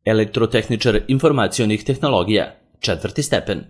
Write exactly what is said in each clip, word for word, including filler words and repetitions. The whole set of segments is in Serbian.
Elektrotehničar informacionih tehnologija, četvrti stepen.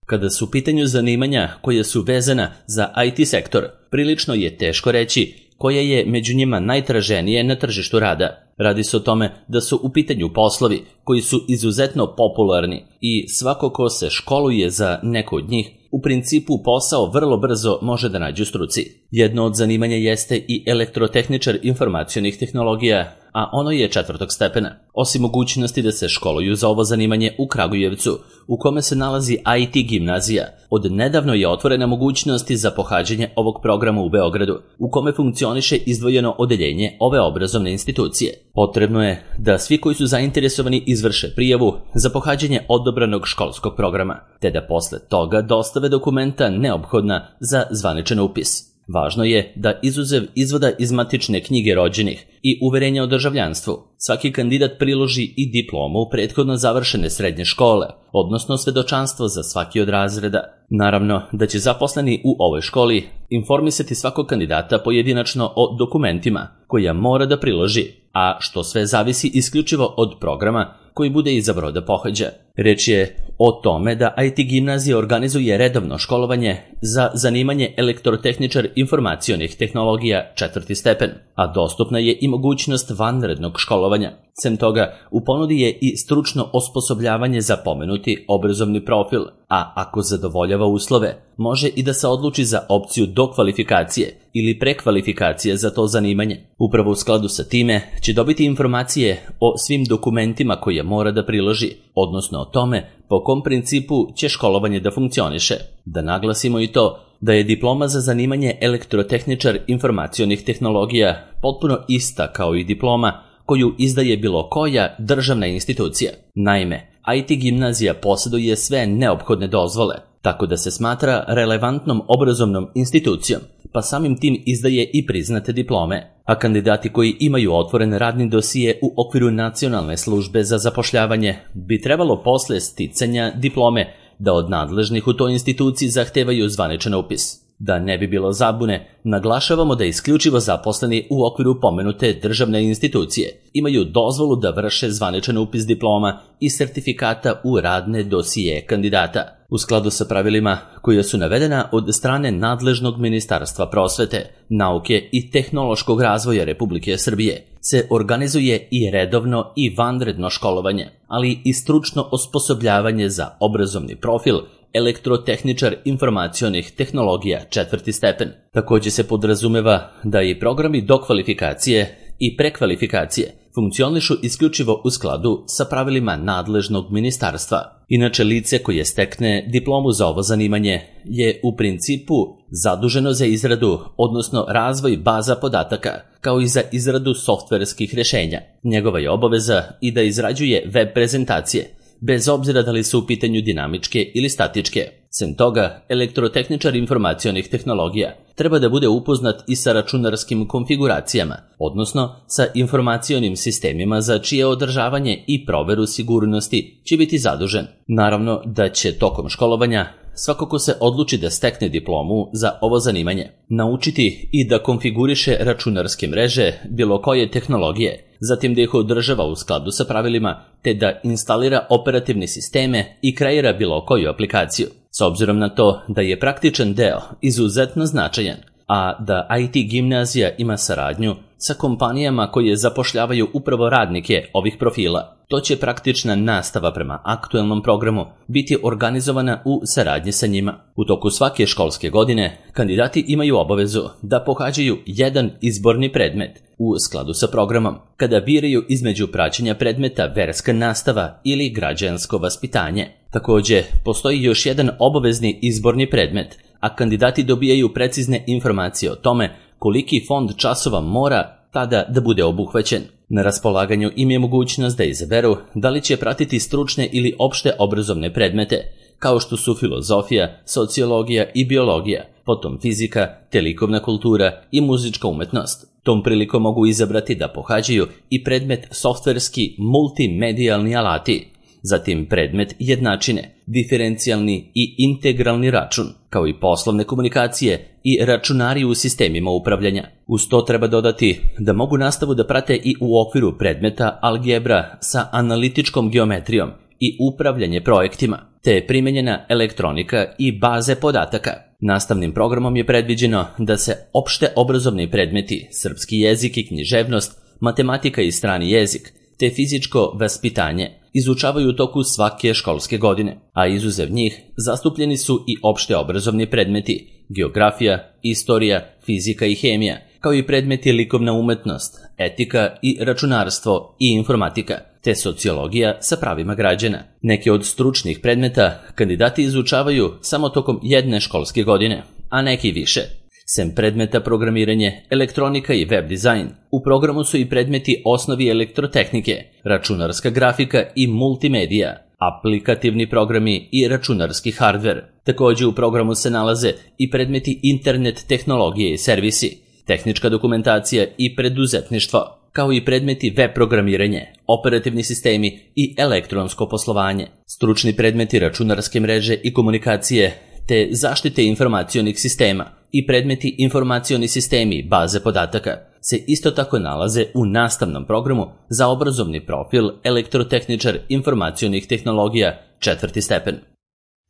Kada su u pitanju zanimanja koja su vezana za I T sektor, prilično je teško reći koje je među njima najtraženije na tržištu rada. Radi se o tome da su u pitanju poslovi koji su izuzetno popularni i svako ko se školuje za neko od njih, u principu posao vrlo brzo može da nađe u struci. Jedno od zanimanja jeste i elektrotehničar informacionih tehnologija, a ono je četvrtog stepena. Osim mogućnosti da se školuju za ovo zanimanje u Kragujevcu, u kome se nalazi I T gimnazija, od nedavno je otvorena mogućnost za pohađanje ovog programa u Beogradu, u kome funkcioniše izdvojeno odeljenje ove obrazovne institucije. Potrebno je da svi koji su zainteresovani izvrše prijavu za pohađanje odobranog školskog programa, te da posle toga dostave dokumenta neophodna za zvaničan upis. Važno je da izuzev izvoda iz matične knjige rođenih i uverenja o državljanstvu, svaki kandidat priloži i diplomu prethodno završene srednje škole, odnosno svedočanstvo za svaki od razreda. Naravno da će zaposleni u ovoj školi informisati svakog kandidata pojedinačno o dokumentima koja mora da priloži, a što sve zavisi isključivo od programa koji bude izabrao da pohađa. Reč je o tome da I T gimnazija organizuje redovno školovanje za zanimanje elektrotehničar informacionih tehnologija četvrti stepen, a dostupna je i mogućnost vanrednog školovanja. Sem toga, u ponudi je i stručno osposobljavanje za pomenuti obrazovni profil, a ako zadovoljava uslove, može i da se odluči za opciju dokvalifikacije ili prekvalifikacije za to zanimanje. Upravo u skladu sa time će dobiti informacije o svim dokumentima koje mora da priloži, odnosno o tome po kom principu će školovanje da funkcioniše. Da naglasimo i to da je diploma za zanimanje elektrotehničar informacionih tehnologija potpuno ista kao i diploma koju izdaje bilo koja državna institucija. Naime, I T gimnazija posjeduje sve neophodne dozvole, tako da se smatra relevantnom obrazovnom institucijom, pa samim tim izdaje i priznate diplome, a kandidati koji imaju otvoren radni dosije u okviru Nacionalne službe za zapošljavanje bi trebalo posle sticanja diplome da od nadležnih u toj instituciji zahtevaju zvaničan upis. Da ne bi bilo zabune, naglašavamo da isključivo zaposleni u okviru pomenute državne institucije imaju dozvolu da vrše zvaničan upis diploma i sertifikata u radne dosije kandidata. U skladu sa pravilima koja su navedena od strane nadležnog Ministarstva prosvete, nauke i tehnološkog razvoja Republike Srbije, se organizuje i redovno i vanredno školovanje, ali i stručno osposobljavanje za obrazovni profil elektrotehničar informacionih tehnologija četvrti stepen. Također se podrazumeva da i programi dokvalifikacije i prekvalifikacije funkcionišu isključivo u skladu sa pravilima nadležnog ministarstva. Inače, lice koje stekne diplomu za ovo zanimanje je u principu zaduženo za izradu, odnosno razvoj baza podataka, kao i za izradu softverskih rješenja. Njegova je obaveza i da izrađuje web prezentacije, bez obzira da li su u pitanju dinamičke ili statičke. Sem toga, elektrotehničar informacionih tehnologija treba da bude upoznat i sa računarskim konfiguracijama, odnosno sa informacionim sistemima za čije održavanje i proveru sigurnosti će biti zadužen. Naravno da će tokom školovanja svako ko se odluči da stekne diplomu za ovo zanimanje naučiti i da konfiguriše računarske mreže bilo koje tehnologije, zatim da ih održava u skladu sa pravilima, te da instalira operativne sisteme i kreira bilo koju aplikaciju. S obzirom na to da je praktičan deo izuzetno značajan, a da I T gimnazija ima saradnju sa kompanijama koje zapošljavaju upravo radnike ovih profila, to će praktična nastava prema aktuelnom programu biti organizovana u saradnji sa njima. U toku svake školske godine kandidati imaju obavezu da pohađaju jedan izborni predmet u skladu sa programom, kada biraju između praćenja predmeta verska nastava ili građansko vaspitanje. Također, postoji još jedan obavezni izborni predmet, a kandidati dobijaju precizne informacije o tome koliki fond časova mora tada da bude obuhvaćen. Na raspolaganju im je mogućnost da izaberu da li će pratiti stručne ili opšte obrazovne predmete, kao što su filozofija, sociologija i biologija, potom fizika, te likovna kultura i muzička umetnost. Tom prilikom mogu izabrati da pohađaju i predmet softverski multimedijalni alati, zatim predmet jednačine, diferencijalni i integralni račun, kao i poslovne komunikacije i računari u sistemima upravljanja. Uz to treba dodati da mogu nastavu da prate i u okviru predmeta algebra sa analitičkom geometrijom i upravljanje projektima, te je primenjena elektronika i baze podataka. Nastavnim programom je predviđeno da se opšte obrazovni predmeti, srpski jezik i književnost, matematika i strani jezik, te fizičko vaspitanje izučavaju u toku svake školske godine, a izuzev njih zastupljeni su i opšte obrazovni predmeti, geografija, istorija, fizika i hemija, kao i predmeti likovna umetnost, etika i računarstvo i informatika, te sociologija sa pravima građana. Neke od stručnih predmeta kandidati izučavaju samo tokom jedne školske godine, a neki više. Sem predmeta programiranje, elektronika i web dizajn, u programu su i predmeti osnovi elektrotehnike, računarska grafika i multimedija, aplikativni programi i računarski hardver. Također u programu se nalaze i predmeti internet tehnologije i servisi, tehnička dokumentacija i preduzetništvo, kao i predmeti web programiranje, operativni sistemi i elektronsko poslovanje. Stručni predmeti računarske mreže i komunikacije, te zaštite informacionih sistema i predmeti informacioni sistemi baze podataka se isto tako nalaze u nastavnom programu za obrazovni profil elektrotehničar informacionih tehnologija četvrti stepen.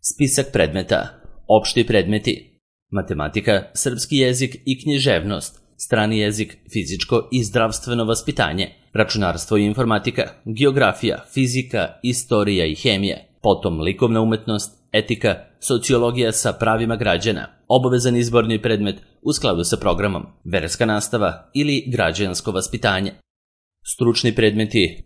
Spisak predmeta. Opšti predmeti: matematika, srpski jezik i književnost, strani jezik, fizičko i zdravstveno vaspitanje, računarstvo i informatika, geografija, fizika, istorija i hemija, potom likovna umetnost, etika, sociologija sa pravima građana, obavezan izborni predmet u skladu sa programom, verska nastava ili građansko vaspitanje. Stručni predmeti: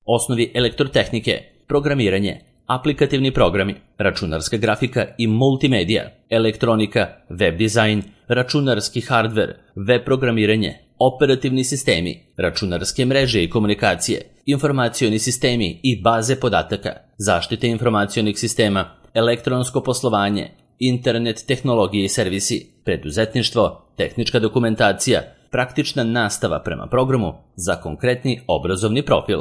osnovi elektrotehnike, programiranje, aplikativni programi, računarska grafika i multimedija, elektronika, web dizajn, računarski hardver, web programiranje, operativni sistemi, računarske mreže i komunikacije, informacioni sistemi i baze podataka, zaštite informacionih sistema, elektronsko poslovanje, internet tehnologije i servisi, preduzetništvo, tehnička dokumentacija, praktična nastava prema programu za konkretni obrazovni profil.